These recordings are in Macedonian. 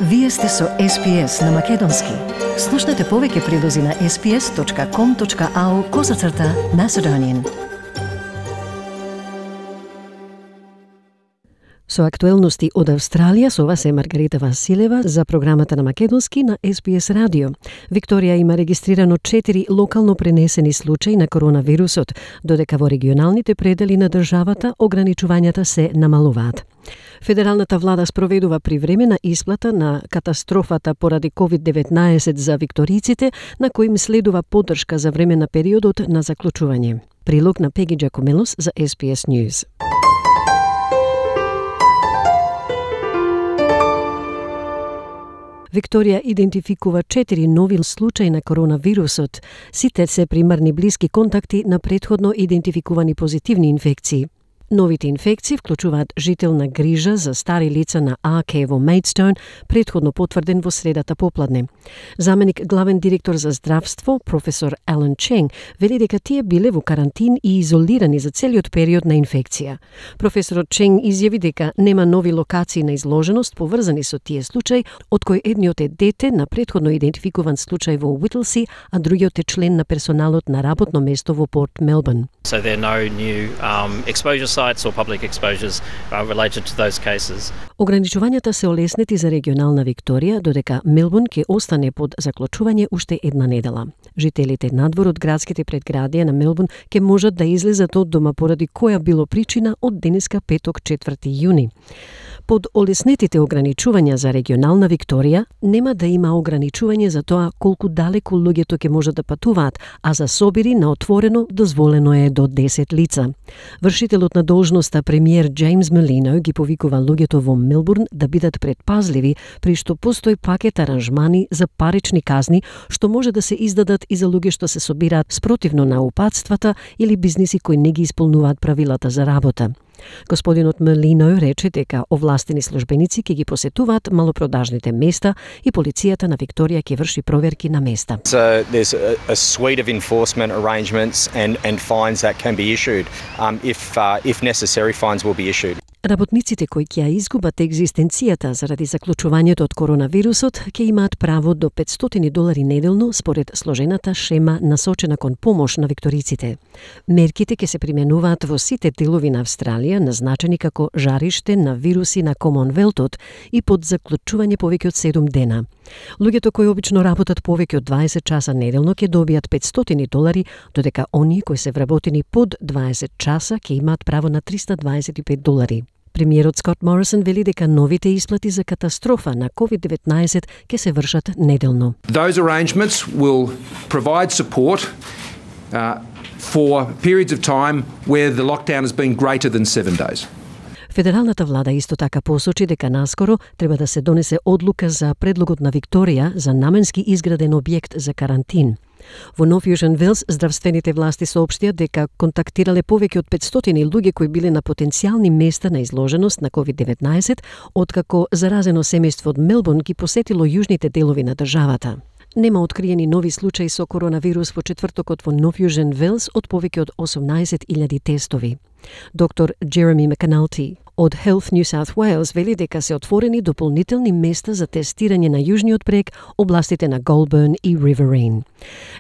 Вие сте со SPS на Македонски. Слушнете повеќе прилози на sps.com.au/Macedonian. Со актуелности од Австралија, со вас е Маргарита Василева за програмата на Македонски на SPS радио. Викторија има регистрирано 4 локално пренесени случаи на коронавирусот, додека во регионалните предели на државата ограничувањата се намалуваат. Федералната влада спроведува привремена исплата на катастрофата поради COVID-19 за викториците, на кои им следува поддршка за време на периодот на заклучување. Прилог на Пеги Джакомелос за SPS News. Викторија идентификува 4 нови случаи на коронавирусот. Сите се примарни блиски контакти на претходно идентификувани позитивни инфекции. Новите инфекции вклучуваат жител на грижа за стари лица на АК во Мејдстоун, претходно потврден во средата попладне. Заменик главен директор за здравство, професор Алан Ченг, вели дека тие биле во карантин и изолирани за целиот период на инфекција. Професорот Ченг изјави дека нема нови локации на изложеност поврзани со тие случаи, од кој едниот е дете на претходно идентификуван случај во Уитлси, а другиот е член на персоналот на работно место во Порт Мелбурн. So there are no new exposure sites or public exposures related to those cases. Ограничувањата се олеснети за регионална Викторија, додека Мелбурн ќе остане под заклучување уште една недела. Жителите надвор од градските предградија на Мелбурн ќе можат да излезат од дома поради која било причина од денеска петок 4 јуни. Под олеснетите ограничувања за регионална Викторија нема да има ограничување за тоа колку далеку луѓето ќе можат да патуваат, а за собири на отворено дозволено е до 10 лица. Вршителот на должноста премиер Джеймс Мелино ги повикува луѓето во Мелбурн да бидат предпазливи при што постои пакет аранжмани за парични казни што може да се издадат и за луѓе што се собираат спротивно на упатствата или бизниси кои не ги исполнуваат правилата за работа. Господинот Мелино рече дека овластени службеници ќе ги посетуваат малопродажните места и полицијата на Викторија ќе врши проверки на места. So there's a suite of enforcement arrangements and fines that can be issued. If necessary, fines will be issued. Работниците кои ќе ја изгубат екзистенцијата заради заклучувањето од коронавирусот ќе имаат право до $500 неделно според сложената шема насочена кон помош на викториците. Мерките ќе се применуваат во сите делови на Австралија, назначени како жариште на вируси на Комонвелтот и под заклучување повеќе од 7 дена. Луѓето кои обично работат повеќе од 20 часа неделно ќе добијат $500, додека оние кои се вработени под 20 часа ќе имаат право на $325. Премиерот Скот Морисон вели дека новите исплати за катастрофа на COVID-19 ќе се вршат неделно. Those arrangements will provide support for periods of time where the lockdown has been greater than 7 days. Федералната влада исто така посочи дека наскоро треба да се донесе одлука за предлогот на Викторија за наменски изграден објект за карантин. Во Нов Јужен Велс здравствените власти соопштија дека контактирале повеќе од 500 луѓе кои биле на потенцијални места на изложеност на COVID-19, откако заразено семејство од Мелбурн ги посетило јужните делови на државата. Нема откриени нови случаи со коронавирус во четвртокот во Нов Јужен Велс од повеќе од 18,000 тестови. Доктор Джереми Маканалти од Health New South Wales вели дека се отворени дополнителни места за тестирање на јужниот брег, областите на Goulburn и Riverine.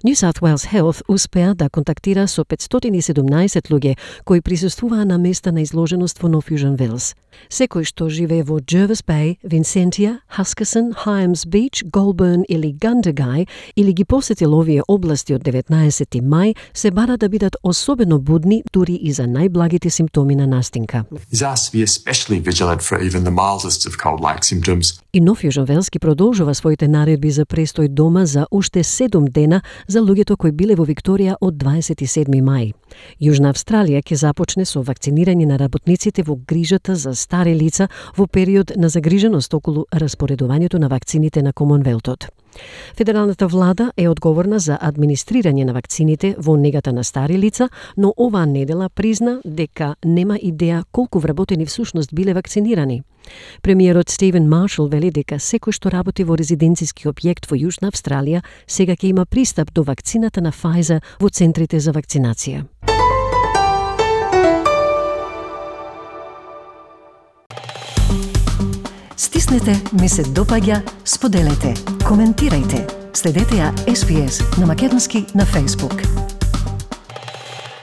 New South Wales Health успеа да контактира со 517 луѓе кои присуствуваа на места на изложеност во Нов Јужен Велс. Секој што живее во Jervis Bay, Винсентија, Huskisson, Hyams Beach, Goulburn или Gundagai или ги посетил овие области од 19 мај, се бара да бидат особено будни дури и за најблагите симптоми на настинка. Especially vigilant for even the mildest of cold-like symptoms. И Нов Јужен Велс ги продолжува своите наредби за престој дома за уште 7 дена за луѓето кои биле во Викторија од 27 мај. Јужна Австралија ќе започне со вакцинирање на работниците во грижата за стари лица во период на загриженост околу распоредувањето на вакцините на Комонвелтот. Федералната влада е одговорна за администрирање на вакцините во негата на стари лица, но оваа недела призна дека нема идеја колку вработени всушност биле вакцинирани. Премиерот Стивен Маршал вели дека секој што работи во резиденциски објект во Јужна Австралија сега ќе има пристап до вакцината на Pfizer во центрите за вакцинација. Натиснете ми се допаѓа, споделете, коментирајте. Следете ја SPS на македонски на Facebook.